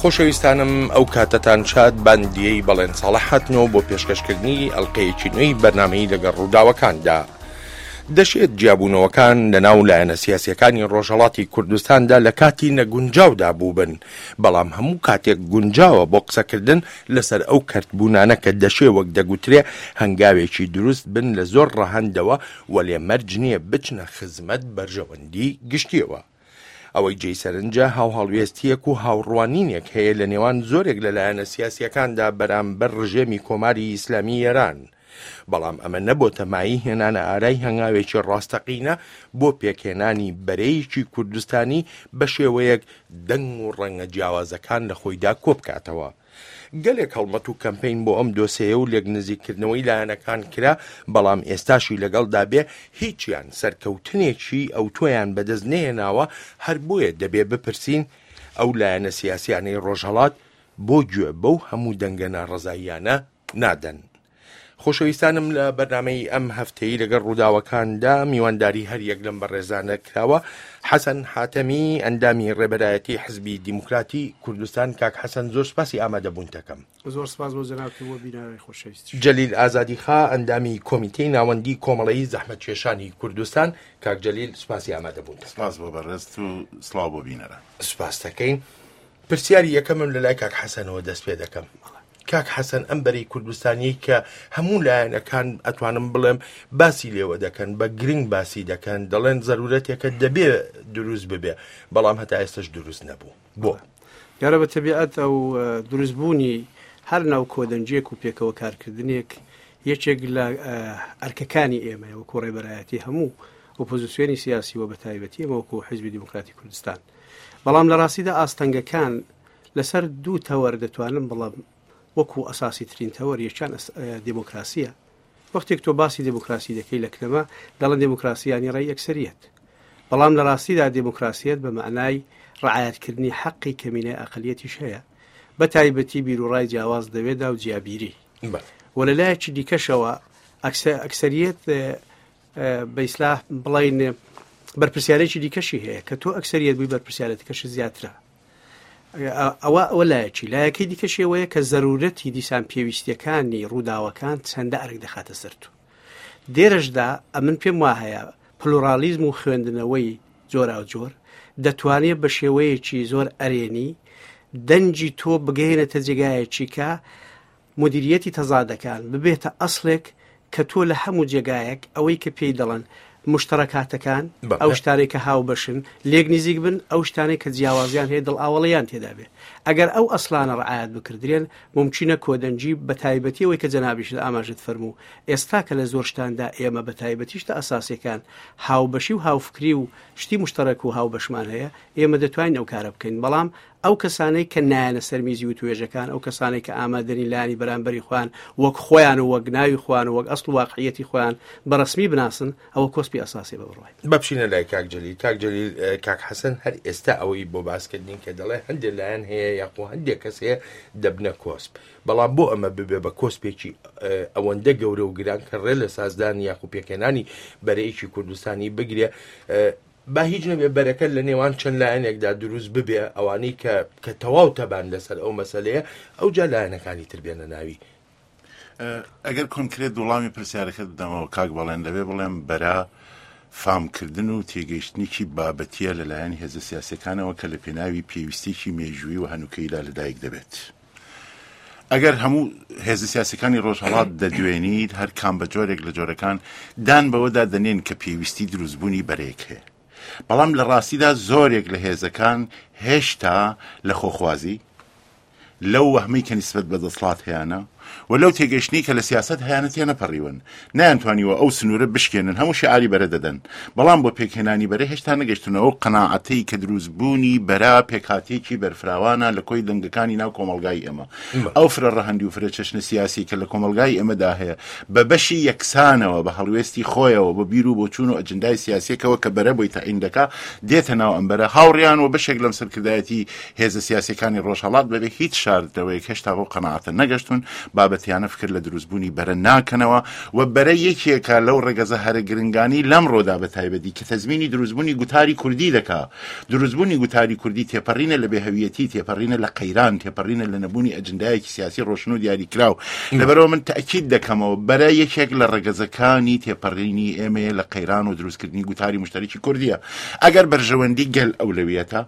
خۆشەویستانم ئەو کاتەتان شاد باندیەی بەڵێن ساڵح هاتنەوە بۆ پێشکەشکردنی ئەڵلقەیەکی نوێی بەرنمەی لەگەڵ ڕووداوەکاندا. دەشێت جیابوونەوەکان لەناو لایەنە سیاسیەکانی ڕۆژهەڵاتی کوردستاندا لە کاتی نەگونجاودا بووبن، بەڵام هەموو کاتێک گونجاوە بۆ قسەکردن لەسەر ئەو کەرتبوونانە کە دەشێ وەک دەگوترێ هەنگاوێکی دروست بن لە زۆر ڕەهەندەوە وەلێ مەرج نییە بچنە خزمەت بەرژەوەندی گشتیەوە. ئەوەی جێی سەرنجە هاوهەڵوێستییەک و هاوڕوانینێک هەیە لە نێوان زۆرێک لە لایەنە سیاسییەکاندا بەرامبەر ڕژێمی کۆماری ئیسلامی ئێران. بەڵام ئەمە نەبۆتە مایەی هێنانە ئارای هەنگاوێکی ڕاستەقینە بۆ پێکهێنانی بەرەیەکی کوردستانی بە شێوەیەک دەنگ و ڕەنگە جیاوازەکان لە خۆیدا کۆبکاتەوە. گەلێک هەڵمەت و کەمپەین بۆ ئەم دۆسێیە و لێکنزیککردنەوەی لایەنەکان کرا، بەڵام ئێستاشی لەگەڵدا بێ هیچیان سەرکەوتنێکی ئەوتۆیان بەدەست نەهێناوە، هەر بۆیە دەبێ بپرسین ئەو لایەنە سیاسیانەی ڕۆژهەڵات بۆ گوێ بەو هەموو دەنگە ناڕەزاییانە نادەن؟ خۆشەویستانم لە بەرنامەی ئەم هەفتەی لەگەڵ ڕووداوەکاندا میوانداری هەر یەک لەم بەڕێزانە کراوە حەسەن حاتەمی ئەندامی ڕێبەرایەتی حزبی دیموکراتی کوردستان کاک حەسەن زۆر سپاسی ئامادەبوونتەکەم زۆر سپاس بۆ جەنابت و بۆ بینەرانی خۆشەویست جەلیل ئازادیخا ئەندامی کۆمیتەی ناوەندی کۆمەڵەی زەحمەتکێشانی کوردستان کاک جەلیل سپاسی ئامادەبوونتەکەم سپاس بۆ بەڕێزت و سڵاو بۆ بینەران سپاستەکەین پرسیاری یەکەمم لە لای کاک حەسەنەوە دەست پێ دەکەم. کاک حەسەن ئەم بەرەی کوردستانیەی کە هەموو لایەنەکان ئەتوانم بڵێم باسی لێوە دەکەن بە گرنگ باسی دەکەن دەڵێن زەرورەتێکە دەبێ دروست ببێ بەڵام هەتا ئێستش دروست نەبوو بۆ؟ دیارە بە تەبیعەت ئەو دروستبوونی هەر ناو کۆدەنگیەک و پێکەوە کارکردنێک یەکێک لە ئەرکەکانی ئێمەیە وەکو ڕێبەرایەتی هەموو ئۆپۆزیسیۆنی سیاسی و بە تایبەتی ئێمە وەکو حیزبی دیموکراتی کوردستان بەڵام لە ڕاستیدا ئاستەنگەکان لەسەر دوو تەوەر دەتوانم بڵێم وەکو ئەساسی ترین تەوەر یەکیان دێمۆکراسیە وەختێک تۆ باسی دێمۆکراسی دەکەی لە کنەما دەڵێن دێمۆکراسی یانی ڕای ئەکسەریەت بەڵام لە ڕاستیدا دێمۆکراسیەت بە مەعنای ڕعایەتکردنی حەقی کەمینەی ئەقلیەتیش هەیە بە تایبەتی بیروڕای جیاواز دەوێدا و جیابیری و لە لایەکی دیکەشەوە ئەکسەریەت بە ئیسلاح بڵین بەرپرسیارێکی دیکەشی هەیە کە تۆ ئەکسەریەت بووی بەرپرسیارەتەکەش زیاترە ئەوە ئەوە لایەکی لایەکەی دیکەشی ئەوەیە کە زەرورەتی دیسان پێویستیەکانی ڕووداوەکان چەندە ئەرک دەخاتە سەر تو دێرەشدا ئەمن پێم وا هەیە پلورالیزم و خوێندنەوەی جۆراوجۆر دەتوانێت بە شێوەیەکی زۆر ئەرێنی دەنگی تۆ بگەیەنێتە جێگایەکی کە مودیریەتی تەزادەکان ببێتە ئەسڵێک کە تۆ لە هەموو جێگایەک ئەوەی کە پێی دەڵێن موشتەڕەکاتەکان، ئەو شتانەی کە هاوبەشن، لێک نیزیک بن، ئەو شتانەی کە جیاوازیان هەیە دڵئاوەڵییان تێدا بێ. ئەگەر ئەو ئەسڵانە ڕعایەت بکردرێن، مومکینە کۆدەنگی، بە تایبەتی ئەوەی کە جەنابیشت ئاماژەت فەرموو، ئێستا کە لە زۆر شتاندا ئێمە بە تایبەتی شتە ئەساسییەکان هاوبەشی و هاوفکری و شتی موشتەڕەک و هاوبەشمان هەیە، ئێمە دەتوانین ئەو کارە بکەین، بەڵام ئەو کەسانەی کە نایەنە سەر میزی وتوێژەکان، ئەو کەسانەی کە ئامادەنین لایەنی بەرامبەری خۆیان وەک خۆیان و وەک ناوی خۆیان و وەک ئەسڵ و واقعیەتی خۆیان بە ڕەسمی بناسن، ئەوە کۆسپی ئەساسیە بە بڕوای من. با بچینە لای کاک جەلیل. کاک جەلیل، کاک حەسەن هەر ئێستا ئەوەی بۆ باس کردین کە دەڵێ هەندێ لایەن هەیە یاخۆ هەندێ کەس هەیە دەبنە کۆسپ، بەڵام بۆ ئەمە ببێ بە کۆسپێکی ئەوەندە گەورە و گران کە ڕێ لە سازدان یاخو پێکهێنانی بەرەیەکی کوردستانی بگرێ، با هیچ نەبێ بەرەکە لە نێوان چەند لایەنێکدا دروست ببێ ئەوانەی کە کە تەواو تەبان لەسەر ئەو مەسەلەیە ئەوجا لایەنەکانی تر بێنە ناوی. ئەگەر کۆنکرێت وڵامی پرسیارەکەت بدەمەوە کاک بەڵێن دەبێ بڵێم بەرە فامکردن و تێگەیشتنێکی بابەتیە لەلایەن هێزە سیاسەکانەوە کە لە پێناوی پێویستێکی مێژووی و هەنوکەیدا لەدایک دەبێت. ئەگەر هەموو هێزە سیاسەکانی ڕۆژهەڵات دەدوێنیت هەر کام بە جۆرێک لە جۆرەکان دان بەوەدا دەنێن کە پێویستی دروستبوونی بەرەیەک هەیە بەڵام لە ڕاستیدا زۆرێک لە هێزەکان هێشتا لە خۆخوازی لەو وەهمەی کە نیسبەت بە دەسڵات هەیانە و لەو تێگەشتنی کە لە سیاست هەیانە تێنەپەڕیون نەیانتوانیوە ئەو سنوورە بشکێنن هەموو شعاری بەرە دەدەن بەڵام بۆ پێکهێنانی بەرە هێشتا نەگەشتونە ئەو قەناعەتەی کە دروستبوونی بەرە پێکهاتەیەکی بەرفراوانە لە کۆی دەنگەکانی ناو کۆمەڵگای ئێمە ئەو فرە ڕەهەندی و فرە چەشنە سیاسی کە لە کۆمەڵگای ئێمەدا هەیە بە بەشی یەکسانەوە بە هەڵوێستی خۆیەوە بە بیر و بۆچوون و ئەجندای سیاسیەکەوە کە بەرە بۆی تەعین دەکا دێتە ناو ئەم بەرە هاوڕیان و بەشێک لەم سەرکردایەتی هێزە سیاسیەکانی ڕۆژهەڵات بەبێ هیچ شاردنەوەیەک هێشتا بەو قەناعەتە نەگەشتون. بابەتیانە فکر لە دروستبوونی بەرە ناکەنەوە و بەرە یەکێکە لەو ڕەگەزە هەرە گرنگانی لەمڕۆدا بە تایبەتی کە تەزمینی دروستبوونی گوتاری کوردی دەکا. دروستبوونی گوتاری کوردی تێپەڕینە لە بێهویەتی، تێپەڕینە لە قەیران، تێپەڕینە لە نەبوونی ئەجندایەکی سیاسی ڕۆشن و دیاریکراو. لەبەرئەوە من تەئکید دەکەمەوە بەرە یەکێک لە ڕەگەزەکانی تێپەڕینی ئێمەیە لە قەیران و دروستکردنی گوتاری موشتەرەکی کوردییە. ئەگەر بەرژەوەندی گەل ئەولەویەتە،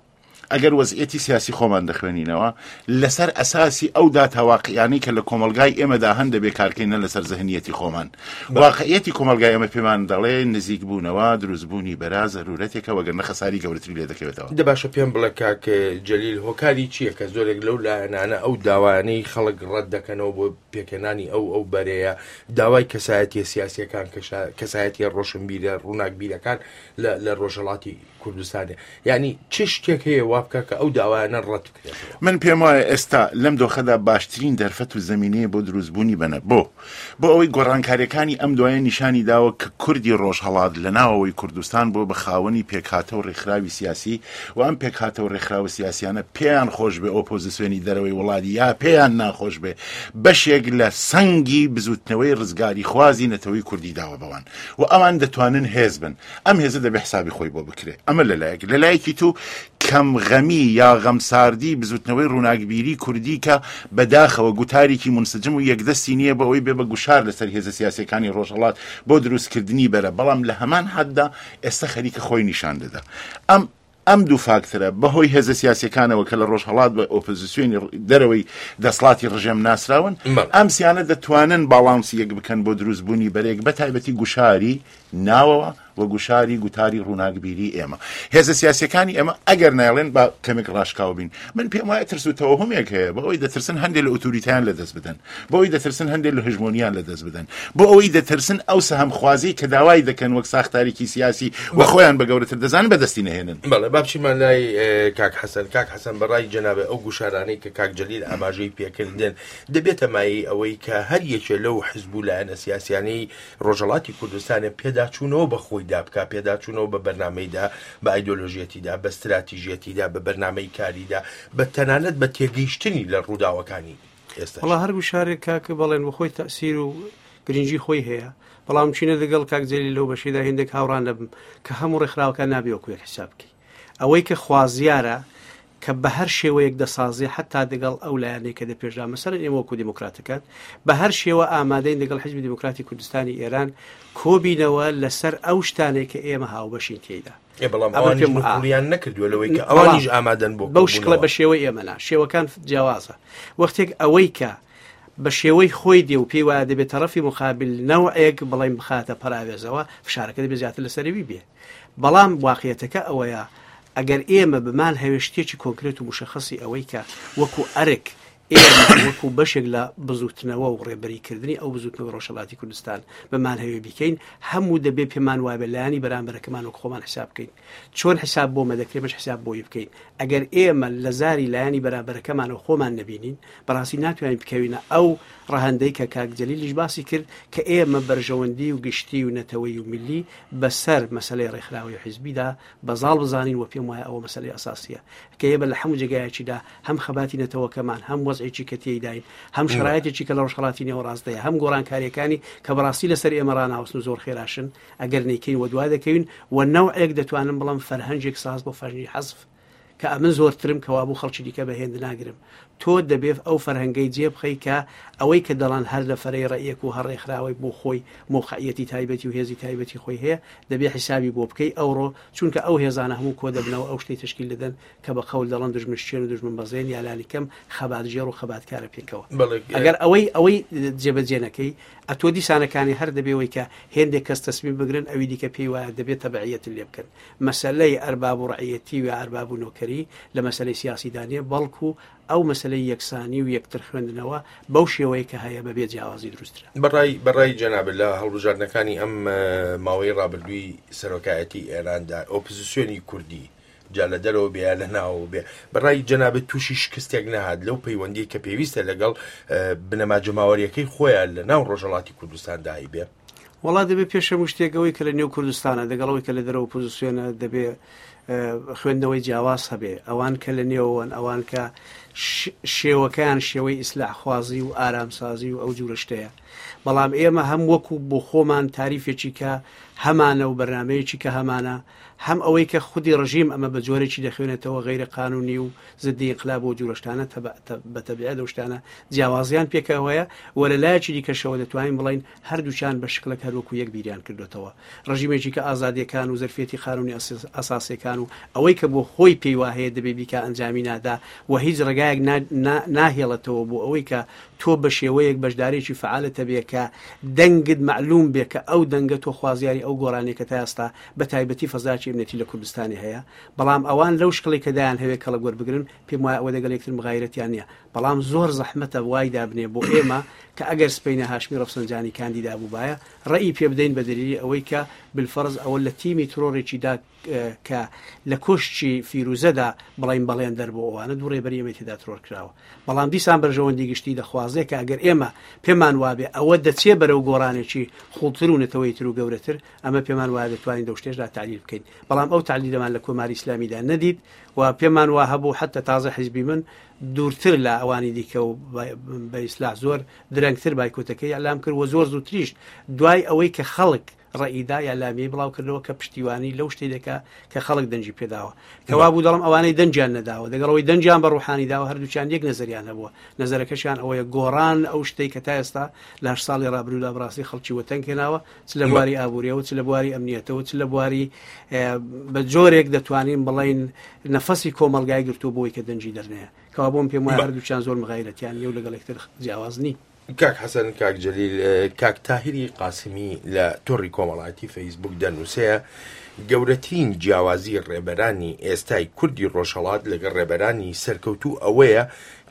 ئەگەر وەزعیەتی سیاسی خۆمان دەخوێنینەوە لەسەر ئەساسی ئەو داتا واقعیانەی کە لە کۆمەڵگای ئێمەدا هەن دەبێ کارکەین نە لەسەر زهنیەتی خۆمان واقعیەتی کۆمەڵگای ئێمە پێمان دەڵێ نزیک بوونەوە دروستبوونی بەرا زەرورەتێکە وەگەر نە خەساری گەورەتری لێ دەکەوێتەوە. دە باشە پێم بڵێ کاک جەلیل هۆکاری چییە کە زۆرێک لەو لایەنانە ئەو داوایانەی خەڵک ڕەت دەکەنەوە بۆ پێکهێنانی ئەو ئەو بەرەیە داوای کەسایەتیە سیاسیەکان کەسایەتیە ڕۆشنبیرە ڕووناکبیرەکان لە لە ڕۆژهەڵاتی کوردستانێ یعنی چ شتێک هەیە وا بکە کە ئەو داوایانە ڕەت بکرێتەوە؟ من پێم وایە ئێستا لەم دۆخەدا باشترین دەرفەت و زەمینەیە بۆ دروستبوونی بەنە بۆ بۆ ئەوەی گۆڕانکاریەکانی ئەم دوایە نیشانی داوە کە کوردی ڕۆژهەڵات لە ناوەوەی کوردستان بووە بە خاوەنی پێکهاتە و ڕێکخراوی سیاسی و ئەم پێکهاتە و ڕێکخراوە سیاسیانە پێیان خۆش بێ ئۆپۆزیسیۆنی دەرەوەی وڵات یا پێیان ناخۆش بێ بەشێک لە سەنگی بزوتنەوەی ڕزگاریخوازی نەتەوەی کوردی داوە بەوان و ئەوان دەتوانن هێز بن. ئەم هێزە دەبێ حسابی خۆی بۆ بکرێ. ئەمە لە لایەک. لە لایەکی تو کەم غەمی یا غەمساردی بزوتنەوەی ڕووناکبیری کوردی کە بە داخەوە گوتارێکی مونسجم و یەکدەستی نییە بۆ ئەوەی بێ بە گوشار لەسەر هێزە سیاسیەکانی ڕۆژهەڵات بۆ دروستکردنی بەرە بەڵام لە هەمان حددا ئێستا خەریکە خۆی نیشان دەدا. ئەم ئەم دوو فاکتەرە بە هۆی هێزە سیاسیەکانەوە کە لە ڕۆژهەڵات بە ئۆپۆزیسیۆنی دەرەوەی دەسڵاتی ڕژێم ناسراون، ئەم سیانە دەتوانن باڵانسی یەک بکەن بۆ دروستبوونی بەرەیەک بە تایبەتی گوشاری ناوەوە و گوشاری گوتاری ڕووناکبیری ئێمە. هێزە سیاسیەکانی ئێمە ئەگەر نایڵێن با کەمێک ڕاشکاو بین. من پێم وایە ترس و تەوەهومێک هەیە بۆ ئەوەی دەترسن هەندێک لە ئوتوریتەیان لەدەست بدەن. بۆ ئەوەی دەترسن هەندێک لە هژمۆنیان لەدەست بدەن. بۆ ئەوەی دەترسن ئەو سەهمخوازیەی کە داوای دەکەن وەک ساختارێکی سیاسی و خۆیان بە گەورەتر دەزانن بەدەستی نەهێنن. بەڵێ با بچیمە لای کاک حەسەن. کاک حەسەن بە ڕای جەنابت ئەو گوشارانەی کە کاک جەلیل ئاماژەی پێکردن دەبێتە مایەی ئەوەی کە هەر یەکێ لەو حزب و لایەنە سیاسیانەی ڕۆژهەڵاتی کوردستانێ پێداچوونەوە بە خۆیدا بکا، پێداچوونەوە بە بەرنامەیدا، بە ئایدۆلۆژیەتیدا، بە ستراتیژیەتیدا، بە بەرنامەی کاریدا، بە تەنانەت بە تێگەیشتنی لە ڕووداوەکانی ئێستاش. وەڵا هەر گوشارێک کاک بەڵێن بۆ خۆی تەئسیر و گرنگی خۆی هەیە، بەڵام چینە دەگەڵ کاک جەلیل لەو بەشەیدا هێندێک هاوڕا نەبم کە هەموو ڕێکخراوەکان نابێ وەکو یەک حیساب بکەی. ئەوەی کە خوازیارە کە بە هەر شێوەیەک دەسازێ حەتا دەگەڵ ئەو لایەنەی کە دەپێشدا مەسەلەن ئێمە وەکوو دێموکراتەکان بە هەر شێوە ئامادەین دەگەڵ حیزبی دێموکراتی کوردستانی ئێران کۆبینەوە لەسەر ئەو شتانەی کە ئێمە هاوبەشین تێیدا. ئێ بەڵام ئەمە ئەوانیش پێم ئا. نکوڵیان نەکردووە لەوەی کە بەڵام ئەوانیش ئامادەن بۆ بەو شکڵە کۆبوونەوە. بە شێوەی ئێمە نا، شێوەکان جیاوازە. وەختێک ئەوەی کە بە شێوەی خۆی دێ و پێی وایە دەبێ تەڕەفی موقابل نەوعێک بڵێین بخاتە پەراوێزەوە، فشارەکە دەبێ زیاتر لەسەر ئەوی بێ. بەڵام واقیەتەکە ئەوەیە ئەگەر ئێمە بمان هەوێ شتێکی کۆنکرێت و مشەخەسی ئەوەی کە وەکو ئەرک ئێمە وەکو بەشێک لە بزوتنەوە و ڕێبەریکردنی ئەو بزوتنەوە ڕۆژهەڵاتی کوردستان بمان هەوێ بیکەین هەموو دەبێ پێمان وابێ لایەنی بەرامبەرەکەمان وەک خۆمان حساب بکەین چۆن حساب بۆ مە دەکرێ مەش حساب بۆی بکەین ئەگەر ئێمە لە زاری لایەنی بەرامبەرەکەمانەوە خۆمان نەبینین بەڕاستی ناتوانین بکەوینە ئەو ڕەهەندەی کە کاک جەلیلیش باسی کرد کە ئێمە بەرژەوەندی و گشتی و نەتەوەیی و میللی بە سەر مەسەلەی ڕێکخراوەی و حیزبیدا بە زاڵ بزانین و پێم وایە ئەوە مەسەلەی ئەساسییە کە ئێمە لە هەموو جێگایەکیدا هەم خەباتی نەتەوەکەمان هەم وەزعێکی کە تێیداین هەم شەرایتێکی کە لە ڕۆژهەڵاتی نێوەڕاستدایە هەم گۆڕانکارییەکانی کە بەڕاستی لەسەر ئێمە ڕاناوەستن و زۆر خێراشن ئەگەر نەیکەین وەدوا دەکەوین و نەوعێک دەتوانم بڵێم فەرهەنگێک ساز بۆ فەرهەنگی حەزف کە ئەمن زۆرترم کەوابوو خەڵکی دیکە بە هێند ناگرم. تۆ دەبێ ئەو فەرهەنگەی جێ بخەی کە ئەوەی کە دەڵێن هەر نەفەرەی ڕەئیەک و هەر ڕێکخراوەی بۆ خۆی مەوقعیەتی تایبەتی و هێزی تایبەتی خۆی هەیە دەبێ حیسابی بۆ بکەی ئەوڕۆ چونکە ئەو هێزانە هەموو کۆ دەبنەوە ئەو شتەی تەشکیل دەدەن کە بە قەول دەڵێن دوژمن شکێن و دوژمن بەزێن یا لانیکەم خەباتگێڕ و خەباتکارە پێکەوە. بەڵێ. ئەگەر ئەوەی ئەوەی جێبەجێ نەکەی ئەتۆ دیسانەکانی هەر دەبێ وەی کە هێندێک کەس تەسمیم بگرن ئەوی دیکە پێی وایە دەبێ تەبعیەت لێ بکەن. مەسەلەی ئەرباب و ڕەعیەتی و یا ئەرباب و نۆکەری لە مەسەلەی سیاسیدا نیە، بەڵکو ئەو مەسەلەی یەکسانی و یەکتر خوێندنەوە بەو شێوەیە کە هەیە بەبێ جیاوازی دروستترە. بەڕای بەڕای جەنابت لە هەڵبژاردنەکانی ئەم ماوەی ڕابردووی سەرۆکایەتی ئێراندا ئۆپزسیۆنی کوردی جا لە دەرەوە بێ یا لە ناوەوە بێ بەڕای جەنابت تووشی شکستێک نەهات لەو پەیوەندیەی کە پێویستە لەگەڵ بنەما جەماوەریەکەی خۆیان لە ناو ڕۆژهەڵاتی کوردستاندا هەیبێ؟ وەڵا دەبێ پێش هەموو شتێک ئەوەی کە لە نێو کوردستانە دەگەڵ ئەوەی کە لە دەرەوە ئۆپۆزیسیۆنە دەبێ. خوێندنەوەی جیاواز هەبێ، ئەوان کە لە نێوەوەن، ئەوان کە شێوەکەیان شێوەی ئیسلاحخوازی و ئارامسازی و ئەو جورە شتەیە. بەڵام ئێمە هەم وەکو بۆ خۆمان تاریفێکی کە هەمانە و بەرنامەیەکی کە هەمانە، هەم ئەوەی کە خودی ڕژیم ئەمە بە جۆرێکی دەخوێنێتەوە غەیرە قانونی و زدی ئینقلاب و جورە شتانە بە تەبیعەت ئەو شتانە جیاوازیان پێکەوەیە و لە لایەکی دیکەشەوە دەتوانین بڵێین هەردووکیان بە شکڵێک هەر وەکو یەک بیریان کردۆتەوە. ڕژیمێکی کە ئازادیەکان و زەرفیەتی قانونی ئەساسیەکان و ئەوەی کە بۆ خۆی پێی واهەیە دەبێ بیکا ئەنجامی نادا و هیچ ڕێگایەک ناهێڵێتەوە بۆ ئەوەی کە تۆ بە شێوەیەک بەشدارێکی فەعالت هەبێ کە دەنگت مەعلوم بێ کە ئەو دەنگە تۆ خوازیاری ئەو گۆڕانەی کە تا ئێستا بە تایبەتی فەزاکی ئەمنیەتی لە کوردستانی هەیە بەڵام ئەوان لەو شکڵی کە دایان هەوێ کەڵک وەربگرن پێم وایە ئەوە دەگەڵ یەکتر مغایرەتیان نیە بەڵام زۆر زەحمەتە وای دابنێ بۆ ئێمە کە ئەگەر سپەینە هاشمی ڕەفسەنجانی کاندیدا بووبایە ڕەئی پێ بدەین بە دەلیلی ئەوەی کە بالفەرز ئەوە لە تیمی ترۆرێکی دا کە لە کۆشکی فیروزەدا بڵین بەڵێن دەر بۆ ئەوانە دوو ڕێبەری ئێمەی تێدا ترۆر کراوە بەڵام دیسان بەرژەوەندی گشتی دەخوازێ کە ئەگەر ئێمە پێمان وابێ ئەوە دەچێ بەرەو گۆڕانێکی قوڵتر و نەتەوەیتر و گەورەتر ئەمە پێمان وایە دەتوانین لەو شتێشدا تەعلیل بکەین بەڵام ئەو تەعلیلەمان لە کۆماری ئیسلامیدا نەدیت و پێمان وا هەبوو حتی تازە حیزبی من دوورتر لە ئەوانی دیکە و بە ئیسلاح زۆر درەنگتر بایکۆتەکەی ئەلام کرد و زۆر زووتریش دوای ئەوەی کە خەڵک ڕەئیدا یا لامیەی بڵاو کردەوە کە پشتیوانی لەو شتەی دەکا کە خەڵک دەنگی پێداوە کەوا بوو دەڵم ئەوانەی دەنگیان نەداوە دەگەڵەوەی دەنگیان بە ڕوحانی داوە هەردووچیان یەک نەزەریان هەبووە نەزەرەکەشیان ئەوەیە گۆڕان ئەو شتەی کە تا ئێستا لە هەشت ساڵی ڕابردوودا بەڕاستی خەڵکی وەتەنگ هێناوە چ لە بواری ئابووریەوە چ لە بواری ئەمنیەتەوە چ لە بواری بە جۆرێک دەتوانین بڵین نەفەسی کۆمەڵگای گرتووە بۆی کە دەنگی دەرنەیە کەوا بۆم پێم وایە هەردووکیان زۆر مغایرەتیان نیە و لەگەڵ یەکتر جیاواز نین. کاک حەسەن، کاک جەلیل، کاک تاهیری قاسمی لە تۆڕی کۆمەڵایەتی فەیسبوک دەنووسێ، گەورەترین جیاوازی ڕێبەرانی ئێستای کوردی ڕۆژهەڵات لەگەڵ ڕێبەرانی سەرکەوتوو ئەوەیە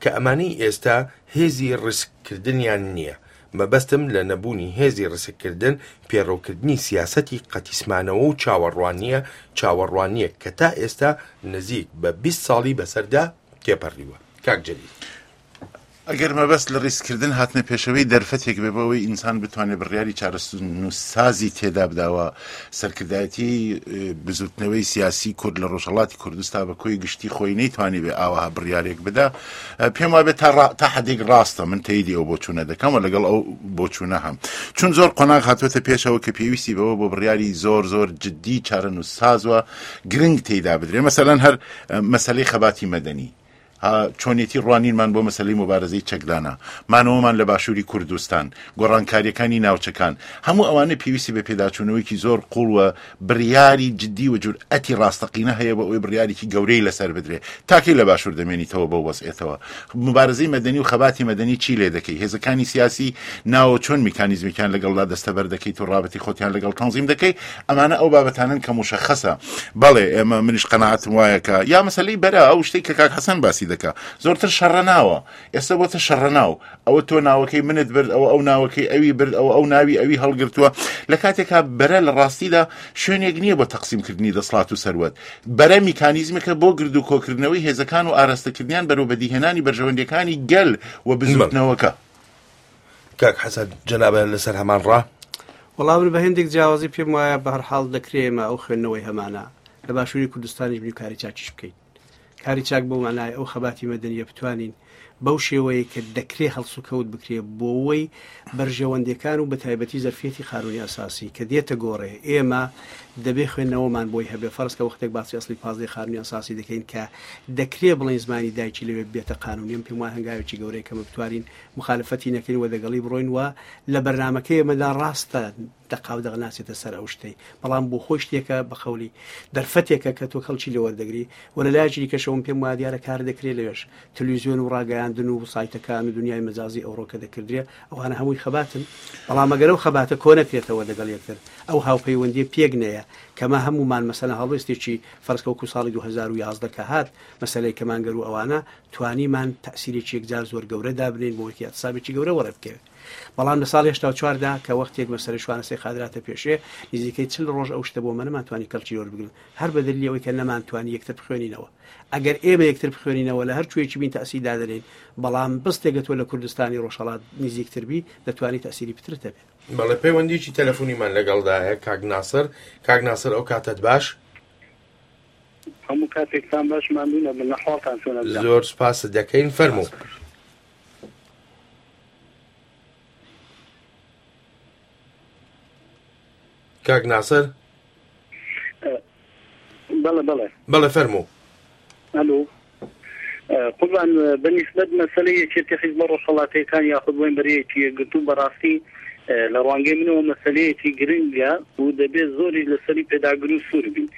کە ئەمانەی ئێستا هێزی ڕیسک کردنیان نییە، مەبەستم لە نەبوونی هێزی ڕیسک کردن پێڕەوکردنی سیاسەتی قەتیسمانەوە و چاوەڕوانییە، چاوەڕوانییەک کە تا ئێستا نزیک بە 20 ساڵی بەسەردا تێپەڕیوە. کاک جەلیل. ئەگەر مەبەست لە ڕیسککردن هاتنە پێشەوەی دەرفەتێک بێ بۆ ئەوەی ئینسان بتوانێت بڕیاری چارەنووسسازی تێدا بدا و سەرکردایەتیی بزووتنەوەی سیاسی کورد لە ڕۆژهەڵاتی کوردستا بە کۆی گشتی خۆی نەیتوانیبێ ئاوەها بڕیارێک بدا پێم وابێ تا تا حدێک ڕاستە من تەیدی ئەو بۆچوونە دەکەم و لەگەڵ ئەو بۆچوونە هەم چون زۆر قۆناغ هاتووەتە پێشەوە کە پێویستی بەوە بۆ بڕیاری زۆر زۆر جددی چارەنووسساز و گرنگ تێیدا بدرێ مەسەلەن هەر مەسەلەی خەباتی مەدەنی چۆنیەتی ڕوانینمان بۆ مەسەلەی موبارەزەی چەکدانە، مانەوەمان لە باشووری کوردستان، گۆڕانکارییەکانی ناوچەکان، هەموو ئەوانە پێویستی بە پێداچوونەوەیەکی زۆر قووڵ و بڕیاری جدی و جورئەتی ڕاستەقینە هەیە بۆ ئەوەی بڕیارێکی گەورەی لەسەر بدرێ. تا کەی لە باشوور دەمێنیتەوە بەو وەزعیەتەوە؟ موبارەزەی مەدەنی و خەباتی مەدەنی چی لێ دەکەی؟ هێزەکانی سیاسی ناوە چۆن میکانیزمێکیان لەگەڵدا دەستەبەر دەکەیت و ڕابەتی خۆتیان لەگەڵ تەنزیم دەکەی؟ ئەمانە ئەو بابەتانەن کە موشەخەسە. بەڵێ ئێمە منیش قەناعەتم وایە کە یا مەسەلەی بەرە ئەو شتەی کە کاک حەسەن باسی دەکا زۆرتر شەڕەناوە ئێستا بۆتە شەڕەناو ئەوە تۆ ناوەکەی منت برد ئەوە ئەو ناوەکەی ئەوی برد ئەوە ئەو ناوی ئەوی هەڵگرتووە لە کاتێکا بەرە لە ڕاستیدا شوێنێک نییە بۆ تەقسیمکردنی دەسڵات و سەروەت بەرە میکانیزمێکە بۆ گرد و کۆکردنەوەی هێزەکان و ئاراستەکردنیان بەرەو بەدیهێنانی بەرژەوەندیەکانی گەل و بزوتنەوەکە. کاک حەسەن جەنابیان لەسەر هەمان ڕا؟ وەڵا من بە هێندێک جیاوازی پێم وایە بە هەر حاڵ دەکرێ ئێمە ئەو خوێندنەوەی هەمانە لە باشووری کوردستانیش بین و کاری چاکیش بکەین. کاری چاک بەو مانای ئەو خەباتی مەدەنیە بتوانین بەو شێوەیە کە دەکرێ هەڵسوکەوت بکرێ بۆوەی بەرژەوەندیەکان و بەتایبەتی زەرفیەتی قانونی ئەساسی کە دێتە گۆڕێ ئێمە دەبێ خوێندنەوەمان بۆی هەبێ فەرز کە وەختێک باسی ئەسلی پازدەی قانونی ئەساسی دەکەین کە دەکرێ بڵێین زمانی دایکی لەوێ بێتە قانونی ئەم پێم وایە هەنگاوێکی گەورەیە کە بتوانین مخالفەتی نەکەین و دەگەڵی بڕۆین و لە بەرنامەکەی ئێمەدا ڕاستە دەقاو دەق ناچێتە سەر ئەو شتەی بەڵام بۆ خۆی شتێکە بە قەولی دەرفەتێکە کە تۆ کەڵکی لێ وەردەگری و لە لایەکی دیکەشەوە پێم وایە دیارە کار دەکرێت لەوێش تلویزیۆن و ڕاگەیاندن و سایتەکان و دنیای مەجازی ئەوڕۆ کە دەکردرێ ئەوانە هەمووی خەباتن بەڵام ئەگەر ئەو خەباتە کۆ نەکرێتەوە دەگەڵ یەکتر ئەو هاوپەیوەندیە پێک نەیە کەمە هەموومان مەسەلەن هەڵوێستێکی فەرز کە وەکو ساڵی 2011 کە هات مەسەلەی کەمانگەر و ئەوانە توانیمان تەئسیرێکی یەکجار زۆر گەورە دابنێین بۆ وەکی ئیعتسابێکی گەورە وەڕێ بکەوێ. بەڵام لە ساڵی 84 دا کە وەختێک مەسەلەی شوانەسەی قادر هاتە پێشێ نزیکەی چل ڕۆژ ئەو شتە بۆ مە نەمانتوانی کەڵکی وەربگرن هەر بە دەلیلی ئەوەی کە نەمانتوانی یەکتر بخوێنینەوە ئەگەر ئێمە یەکتر بخوێنینەوە لە هەر کوێیەکی بین تەئسیر دادەنێین بەڵام بستێکە تۆ لە کوردستانی ڕۆژهەڵات نزیکتر بی دەتوانی تەئسیری پترت هەبێ. بەڵێ پەیوەندیی تەلەفونیمان لەگەڵدایە کاک ناسر. کاک ناسر ئەو کاتەت باش. هەموو کاتێکتان باش ماندوو نەبن ئەحواڵتان چۆنە برام؟ زۆر سپاست دەکەین فەرموو. کاک ناسر بەڵێ بەڵێ بەڵێ فەرموو. ئەلو قوربان بە نیسبەت مەسەلەی یەکێتی حیزبە ڕۆژهەڵاتیەکان یاخود بڵێین بەرەیەکی یەکگرتوو بەڕاستی لە ڕوانگەی منەوە مەسەلەیەکی گرنگە و دەبێت زۆریش لەسەری پێداگر و سوور بین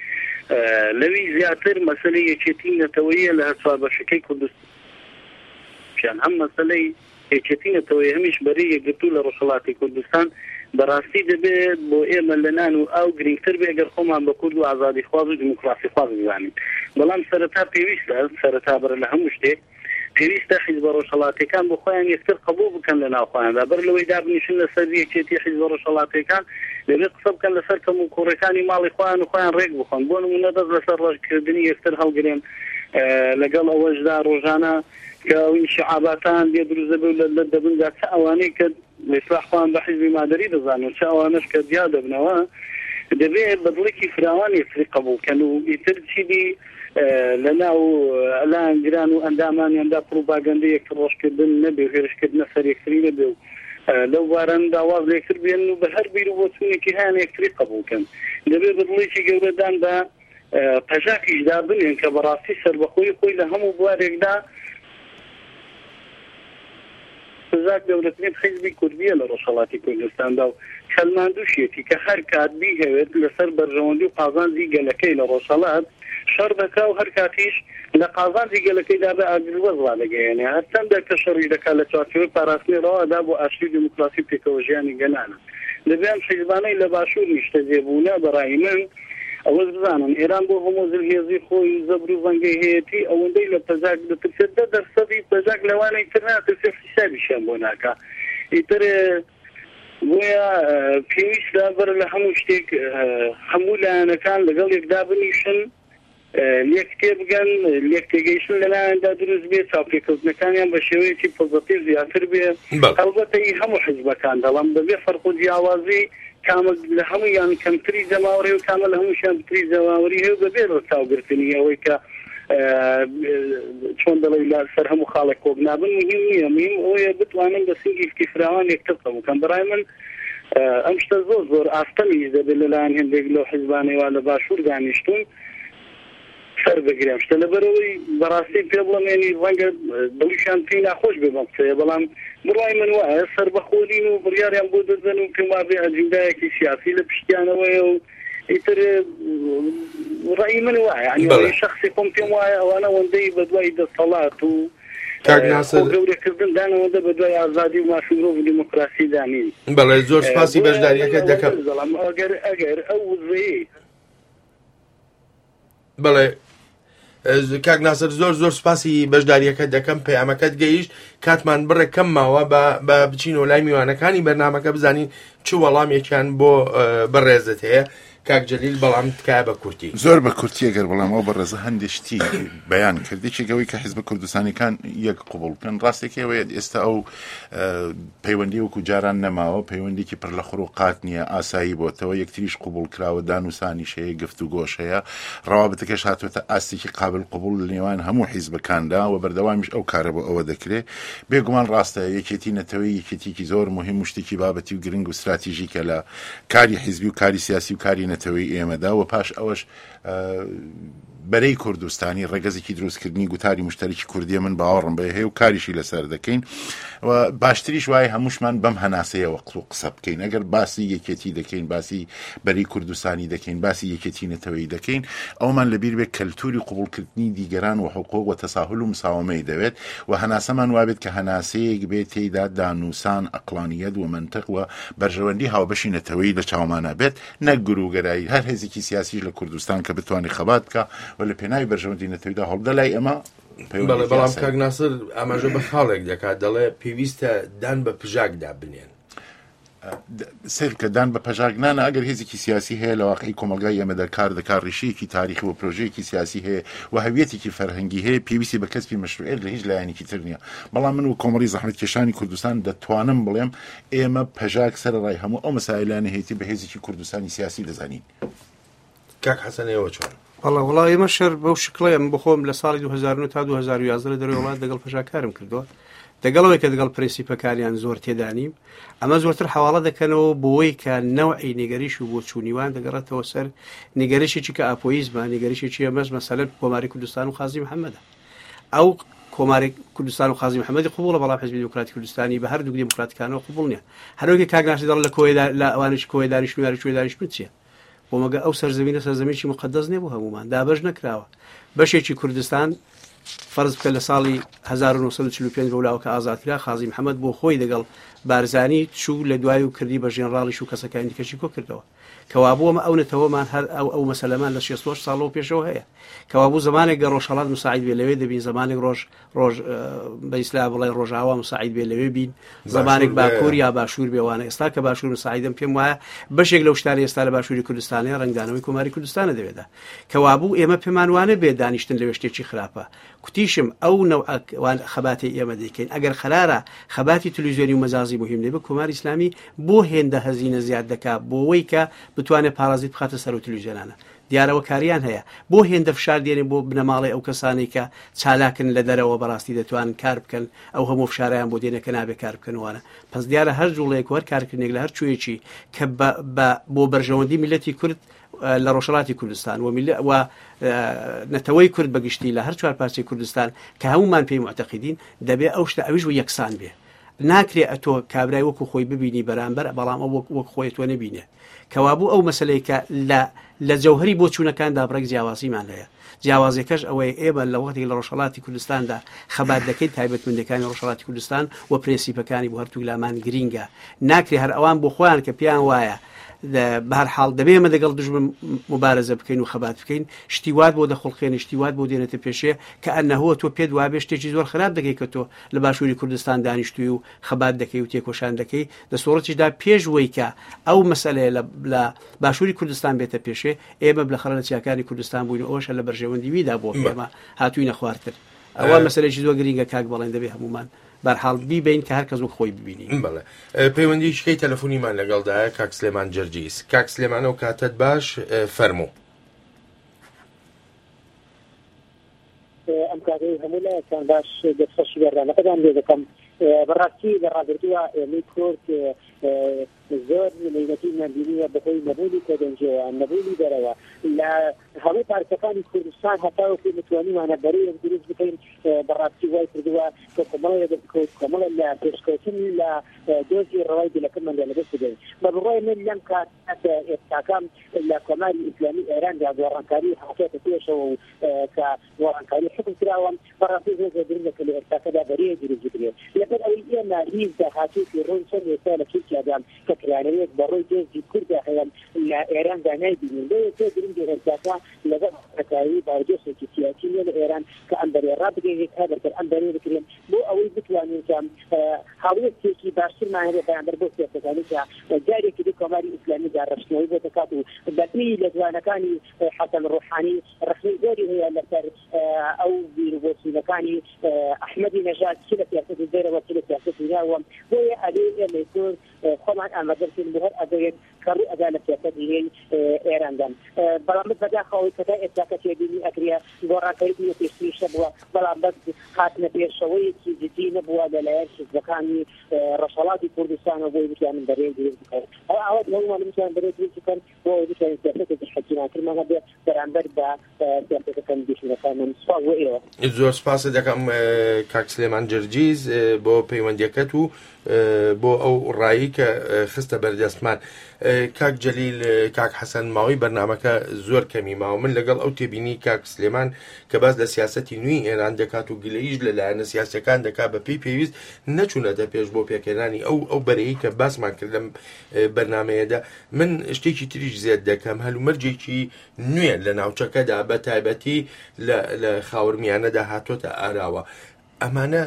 لەوی زیاتر مەسەلەی یەکێتی نەتەوەیە لە هەر چوار بەشەکەی کوردستان هەم مەسەلەی یەکێتی نەتەوەیی هەمیش بەرەی یەکگرتوو لە ڕۆژهەڵاتی کوردستان بەڕاستی دەبێ بۆ ئێمە لە نان و ئاو گرینگتر بێ گەر خۆمان بە کورد و ئازادیخواز و دیموکراسیخواز بزانین. بەڵام سەرەتا پێویستە، سەرەتا بەر لە هەموو شتێک، پێویستە حیزبە ڕۆژهەڵاتیەکان بۆ خۆیان یەکتر قەبووڵ بکەن لە ناو خۆیاندا. بەر لەوەی دابنیشن لە سەر یەکێتی حیزبە ڕۆژهەڵاتیەکان، دەبێ قسە بکەن لە سەر کەموکووڕیەکانی ماڵی خۆیان و خۆیان ڕێک بخەن. بۆ نموونە دەست لە سەر ڕەشکردنی یەکتر هەڵگرن. لەگەڵ ئەوەشدا ڕۆژانە کە ئەو ئینشعاباتان لێ دروست دەبێ و لەت لەت دەبن جا چ ئەوانەی کە ئیسلاح خۆیان بە حیزبی مادەری دەزانن و چ ئەوانەش کە جیا دەبنەوە دەبێ بە دڵێکی فراوان یەکتری قەبووڵ کەن و ئیتر چیدی لە ناو لایەنگران و ئەندامانیاندا پڕوپاگەندەی یەکتر ڕەشکردن نەبێ و هێرشکردنە سەر یەکتری نەبێ و لەو بارانەدا واز لە یەکتر بێنن و بە هەر بیر و بۆچوونێکی هەیان یەکتری قەبووڵ کەن دەبێ بە دڵێکی گەورە دان بە پەژاکیش دابنێن کە بەڕاستی سەربەخۆیی خۆی لە هەموو بوارێکدا پژاک گەورەترین حیزبی کوردییە لە ڕۆژهەڵاتی کوردستاندا و سەلماندووشیەتی کە هەر کات بیهەوێت لەسەر بەرژەوەندی و قازانجی گەلەکەی لە ڕۆژهەڵات شەڕ دەکا و هەر کاتیش لە قازانجی گەلەکەیدا بێ ئاگربەست ڕادەگەیەنێ هەرچەندە کە شەڕیش دەکا لە چوارچێوەی پاراستنی ڕەوادا بۆ ئاشتی و دیموکراسی و پێکەوەژیانی گەلانە. دەبێ ئەم حیزبانەی لە باشوور نیشتەجێ بوونە بە ڕای من ئەوەش بزانن ئێران بۆ هەموو زلهێزی خۆی و زەبر و زەنگەی هەیەتی ئەوەندەی لە پەژاک دەترسێت دە دەرسەدی پەژاک لەوانەی تر ناترسێ و حیسابیشیان بۆ ناکا ئیتر بۆیە پێویستە بەر لە هەموو شتێک هەموو لایەنەکان لەگەڵ یەکدا بنیشن لێک تێبگەن، لێک تێگەیشتن لەلایاندا دروست بێ، چاوپێکەوتنەکانیان بە شێوەیەکی پۆزەتیڤ زیاتر بێ. هەڵبەتە ئی هەموو حیزبەکان دەڵێم بە بێ فەرق و جیاوازی کامە لە هەموویان کەمتری جەماوەری و کامە لە هەمووشیان پتری جەماوەری هەیە و بە بێ ڕەچاوگرتنی ئەوەی کە چۆن دەڵێی لە سەر هەموو خاڵێک کۆک نابن مهم نییە، مهم ئەوەیە بتوانن بە سنگێکی فراوان یەکتر قبووڵ کەن. بەڕای من ئەم شتە زۆر زۆر ئاستەمیش دەبێت لەلایەن هێندێک لەو حیزبانەی وا لە باشوور دانیشتوون سەر بگرێ ئەم شتە لەبەرئەوەی بەڕاستی پێ بڵێم یانی ڕەنگە دڵیشیان پێی ناخۆش بێ بەم قسەیە بەڵام بڕوای من وایە سەربەخۆ نین و بڕیاریان بۆ دەدەن و پێم وابێ ئەجیندایەکی سیاسی لە پشتیانەوەیە و ئیتر ڕەئی من وایە یانی ڕەئی شەخسی خۆم پێم وایە ئەوانە ئەوەندەی بەدوای دەسەڵات و کاک ناسر خۆ گەورەکردن دان ئەوەندە بە دوای ئازادی و مافی مرۆڤ و دیموکراسی دا نین. بەڵێ زۆر سپاسی بۆیە من بەشداریەکەت ئەوەندە دەکەم. دەڵێم ئەگەر ئەگەر ئەو وزەیەی. بەڵێ کاک ناسر زۆر زۆر سپاسی بەشداریەکەت دەکەم پەیامەکەت گەیشت کاتمان بڕێک کەم ماوە بە بە بچینەوە لای میوانەکانی بەرنامەکە بزانین چ وەڵامێکیان بۆ بەڕێزت هەیە کاک جەلیل بەڵام تکایە بە کورتی. زۆر بە کورتی ئەگەر بڵێم ئەو بەڕێزە هەندێ شتی بەیان کرد یەکێک ئەوەی کە حیزبە کوردستانیەکان یەک قبوڵ بکەن ڕاستێکی ئەوەیە ئێستا ئەو پەیوەندی وەکو جاران نەماوە پەیوەندێکی پڕ لە خڕ و قات نییە ئاسایی بۆتەوە یەکتریش قبوڵ کراوە دانوسانیش هەیە گفتوگۆش هەیە ڕەوابتەکەش هاتوێتە ئاستێکی قابل قبوڵ لە نێوان هەموو حیزبەکاندا و بەردەوامیش ئەو کارە بۆ ئەوە دەکرێت بێگومان ڕاستە یەکێتی نەتەوەی یەکێتیکی زۆر مهم و شتێکی بابەتی و گرنگ و استراتیژیکە لە کاری حیزبی و کاری سیاسی و کاری نەتەوەی ئێمەدا و پاش ئەوەش بەرەی کوردستانی ڕێگەزێکی دروستکردنی گوتاری مشتەرکی کوردیە من باوەڕم بە هەیە و کاریشی لەسەر دەکەین و باشتریش وایە هەمووشمان بەم هەناسەیەوە قسە و قسە بکەین ئەگەر باسی یەکێتی دەکەین باسی بەری کوردستانی دەکەین باسی یەکێتی نەتەوەی دەکەین ئەومان لەبیر بێت کەلتوری قبوڵکردنی دیگەران و حقوق و تەساهل و مساومەی دەوێت و هەناسەمان وابێت کە هەناسەیەک بێت تێیدا دانوسان ئەقڵانیەت و مەنتق و بەرژەوەندی هاوبەشی نەتەوەیی لە چاومانا بێت نەک گروگەرایی هەر هێزێکی سیاسیش لە کوردستان کە بتوانێت خەبات بکا و لە پێناوی بەرژەوەندی نەتەویدا هەوڵبدا لای ئێمە بەڵێ بەڵام کاک ناسر ئاماژە بە خاڵێک دەکات دەڵێ پێویستە دان بە پژاکدا بنێن. سەیر بکە دان بە پەژاک نانە ئەگەر هێزێکی سیاسی هەیە لە واقعی کۆمەڵگای ئێمەدا کار دەکات ڕیشەیەکی تاریخی و پرۆژەیەکی سیاسی هەیە و هەویەتێکی فەرهەنگی هەیە پێویستی بە کەسبی مەشروعیەت لە هیچ لایەنێکی تر نییە بەڵام من و کۆمەڵی زەحمەتکێشانی کوردستان دەتوانم بڵێم ئێمە پەژاک سەرەڕای هەموو ئەو مەسایلانە هەیەتی بە هێزێکی کوردستانی سیاسی دەزانین. کاک حەسەن ئێوە چۆن؟ بەڵێ وەڵا ئێمە شەر بەو شکڵەیە من بخۆم لە ساڵی 2009 تا 2011 لە دەرەوەی وڵات دەگەڵ پەژا کارم کردووە دەگەڵەوەی کە دەگەڵ پرنسیپەکانیان زۆر تێدانیم ئەمە زۆرتر حواڵە دەکەنەوە بۆی کە نەوعی نیگەریش و بۆچوونیوان دەگەڕێتەوە سەر نیگەرشێکی کە ئاپۆیزمە نیگەرشێکی ئەمەش مەسەلەن کۆماری کوردستان و قازی محەممەدە ئەو کۆماری کوردستان و قازی محەممەدی قبوڵە بەڵام حزبی دیموکراتی کوردستانی بە هەردوو دیموکراتەکانەوە قبوڵ نییە هەروەکی کاک ناسی دەڵێ لە کۆیدا لە ئەوانش کۆیە دانیشتن و یاری کوێ دانیشتن چییە بۆ مەگە ئەو سەرزەمینە سەرزەمینی مقدس نییە بۆ هەمومان دابەش نەکراوە بەشێکی کوردستان فەرز بکە لە ساڵی 1945 بەولاوە کە ئازاد کرا قازی محەممەد بۆ خۆی دەگەڵ بارزانی چوو لە دوای و کردی بە ژێنڕاڵیش و کەسەکانی دیکەشی کۆ کردەوە کەوابوو ئەمە ئەو نەتەوەمان هەر ئەو ئەو مەسەلەمان لە 68 ساڵەوە پێشەوە هەیە کەوابوو زمانێک گە ڕۆژهەڵات مساعید بێ لەوێ دەبین زمانێک ڕۆژ ڕۆژ بە ئیسلا بڵێ ڕۆژاوا مساعید بێ لەوێ بین زمانێک باکوور یا باشوور بێوانە ئێستا کە باشوور مساعیدم پێم وایە بەشێک لەو شتانە ئێستا لە باشووری کوردستانە ڕەنگدانەوەی کۆماری کوردستانە دەوێدا کەوابوو ئێمە پێمان وانە بێ دانیشتن لەوێ شتێکی خراپە کوتیشم ئەو نەوعە خەباتەی ئێمە دەیکەین ئەگەر قەرارە خەباتی تلویزیۆنی و مەجازی موهیم نەبێ کۆماری ئیسلامی بۆ هێندە هەزینە زیاد دەکا بۆوەی کە بتوانێ پارازیت بخاتە سەر ئەو تلویزیۆنانە دیارەوە کاریان هەیە بۆ هێندە فشار دێنێ بۆ بنەماڵەی ئەو کەسانەی کە چالاکن لە دەرەوە بەڕاستی دەتوانن کار بکەن ئەو هەموو فشارەیان بۆ دێنێ کە نابێ کار بکەن وانە پس دیارە هەر جوڵەیەک و هەر کارکردنێک لە هەر کوێیەکی کە بە بە بۆ بەرژەوەندی میللەتی کورد لە ڕۆژهەڵاتی کوردستان و و نەتەوەی کورد بەگشتی لە هەر چوار پارچەی کوردستان کە هەمومان پێی معتەقیدین دەبێ ئەو شتە ئەویش و یەکسان بێ ناکرێ ئەتۆ کابرای وەکو خۆی ببینی بەرامبەر بەڵام ئەو وەک وەک خۆی تۆ نەبینێ کەوابوو ئەو مەسلەی کە لە لە جەوهری بۆچوونەکاندا بڕێک جیاوازیمان هەیە جیاوازیەکەش ئەوەیە ئێمە لە وەختێک لە ڕۆژهەڵاتی کوردستاندا خەبات دەکەین تایبەتمەندەکانی ڕۆژهەڵاتی کوردستان و پرێنسیپەکانی بۆ هەرتوو لامان گرینگە ناکرێ هەر ئەوان بۆ خۆیان کە پێیان وایە بەهەر حاڵ دەبێ ئێمە دەگەڵ دوژمن موبارەزە بکەین و خەبات بکەین، شتی وات بۆ دەخوڵقێنی، شتی وات بۆ دێنێتە پێشێ کە ئەنەهۆ تۆ پێت وابێ شتێکی زۆر خراپ دەکەی کە تۆ لە باشووری کوردستان دانیشتووی و خەبات دەکەی و تێکۆشان دەکەی، لە سۆڕەتیشدا پێش وەی کە ئەو مەسەلەیە لە لە باشووری کوردستان بێتە پێشێ، ئێمە بلەخەرە لە چیاکانی کوردستان بووین و ئەوەش هەر لە بەرژەوەندی ویدا بووە کە ئێمە هاتووینە خوارتر. ئەوە مەسەلەیەکی زۆر گرینگە کاک بەڵێن دەبێ هەموومان بەرحاڵ بیبەین کە هەر کەس وەک خۆی ببینی. بەڵێ پەیوەندیی کەی تەلەفونیمان لەگەڵدایە کاک سلێمان جەرجیس. کاک سلێمان ئەو کاتەت باش فەرموو. ئەم کاتەی هەموو لایەکتان باش دەستخۆشی بەرنامەکەتان لێ دەکەم. بەڕاستی لە ڕابردووە ئێمەی کورد زۆر مەینەتیمان بینیوە بەهۆی نەبوونی کۆدەنگیەوە، نەبوونی دەرەوە لە هەموو پارچەکانی کوردستان هەتاوەکو متوانیمانە بەرەیەک دروست بکەین بەڕاستی وای کردووە کە کۆمەڵێ لە دەستکەوت کۆمەڵێ لە پێشکەوتن لە دۆزی ڕەوای گەلەکەماندا لەدەست بدەین. بە بڕوای من لەم کاتە ئێستاکە لە کۆماری ئیسلامی ئێراندا گۆڕانکاری هاتۆتە پێشەوە و کە گۆڕانکاری حوکم کراوە، بەڕاستی زۆر زۆر گرنگە کە لە ئێستاکەدا بەرەیەک دروست بکرێت. لەبەر ئەوەی ئێمە هیچ داهاتوویەکی ڕوون چەند ئێستا لە تورکیادا کە کرانەوەیەک بە ڕووی دۆزی کورددا هەیە لە ئێراندا نایبینین. بۆیە زۆر گرنگە ئێستاکە لەگەڵ ڕێکخراوی بارودۆخێکی سیاسی نوێ لە ئێران کە ئەم بەرەیە ڕابگەیەنرێت تا بەرتر ئەم بەرەیە بکرێت بۆ ئەوەی بتوانین کە هەڵوێستێکی باشترمان هەبێت بەرامبەر بەو سیاسەتانەی کە جارێکی دی کۆماری ئیسلامی داڕشتنەوەی بۆ دەکات و بەپێی لێدوانەکانی حەسەن ڕوحانی ڕەخنەی زۆری هەیە لەسەر ئەو بیر و بۆچوونەکانی ئەحمەدی نەژاد چ لە سیاسەتی دەرەوە چ لە سیاسەتی ناوە بۆیە ئەبێ ئێمەی کورد خۆمان ئامادە بکەین بۆ هەر ئەگەرێک کە ڕوو ئەدا لە سیاسەتی نوێی ئێراندا بەڵام بەس بەداخەوە ئەوەی کە تا ئێستا کە تێبینی ئەکرێ گۆڕانکاری نییە پێشتریش هەبووە بەڵام بەس هاتنە پێشەوەیەکی جدی نەبووە لەلایەن حیزبەکانی ڕۆژهەڵاتی کوردستانەوە بۆی بتوانن بەرەیەک دروست بکەن ئەو ئاوات هەموومان بتوانن بەرەیەک دروست بکەن بۆ ئەوەی بتوانین سیاسەتێکی حەکیمانترمان هەبێ بەرامبەر بە سیاسەتەکانی دوژمنەکانمان. سوپاس بۆ ئێوە. زۆر سوپاست دەکەم کاک سلێمان جرجیز بۆ پەیوەندیەکەت و بۆ ئەو ڕایی کە خستە بەردەستمان. کاک جەلیل کاک حەسەن ماوەی بەرنامەکە زۆر کەمی ماوە من لەگەڵ ئەو تێبینی کاک سلێمان کە باس لە سیاسەتی نوێی ئێران دەکات و گلەییش لە لایەنە سیاسەکان دەکات بە پێی پێویست نەچوونەتە پێش بۆ پێکهێنانی ئەو ئەو بەرەی کە باسمان کرد لەم بەرنمەیەدا من شتێکی تریش زێد دەکەم هەلومەرجێکی نوێ لە ناوچەکەدا بە تایبەتی لە خاورمیانەدا هاتۆتە ئاراوە ئەمانە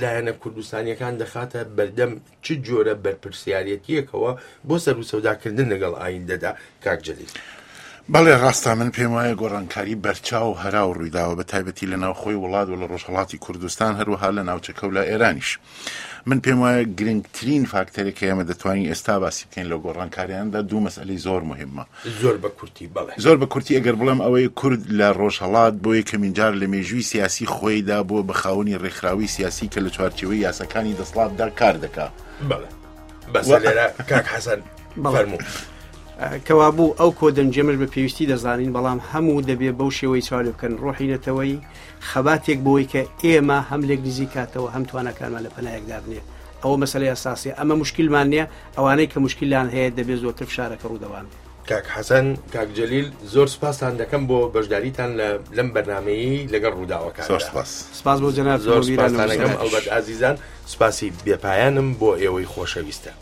لایەنە کوردستانیەکان دەخاتە بەردەم چ جۆرە بەرپرسیارەتیەکەوە بۆ سەر و سەوداکردن لەگەڵ ئایندەدا کاک جەلیل. بەڵێ ڕاستە من پێم وایە گۆڕانکاری بەرچاو و هەراو ڕوویداوە بە تایبەتی لە ناوخۆی وڵات و لە ڕۆژهەڵاتی کوردستان هەروەها لە ناوچەکە و لە ئێرانیش. من پێم وایە گرنگترین فاکتەرێک کە ئێمە دەتوانین ئێستا باسی بکەین لەو گۆڕانکاریاندا دوو مەسئلەی زۆر مهمە. زۆر بە کورتی بەڵێ. زۆر بە کورتی ئەگەر بڵێم ئەوەی کورد لە ڕۆژهەڵات بۆ یەکەمین جار لە مێژووی سیاسی خۆیدا بووە بە خاوەنی ڕێکخراوەی سیاسی کە لە چوارچێوەی یاساکانی دەسڵاتدا کار دەکا. بەڵێ. بەسە لێرە کاک حەسەن فەرموو. کەوابوو ئەو کۆدەنگیەمەش بە پێویستی دەزانین، بەڵام هەموو دەبێ بەو شێوەی چاو لێ بکەن، ڕۆحی نەتەوەیی، خەباتێک بۆی کە ئێمە هەم لێک نزیک کاتەوە هەم تواناکانمان لە پەنایەک دابنێ. ئەوە مەسەلەی ئەساسیە. ئەمە موشکیلمان نییە، ئەوانەی کە موشکیلیان هەیە دەبێ زۆرتر فشارەکە ڕوو دەوان بێ. کاک حەسەن، کاک جەلیل زۆر سپاستان دەکەم بۆ بەشداریتان لە لەم بەرنامەیەی لەگەڵ ڕووداوەکاندا. زۆر سپاس. سپاس بۆ جەنابتان زۆر و بیرانە سپاستان دەکەم. وزارەتیش. ئەڵبەت ئازیزان سپاسی بێپایانم بۆ ئێوەی خۆشەویستە.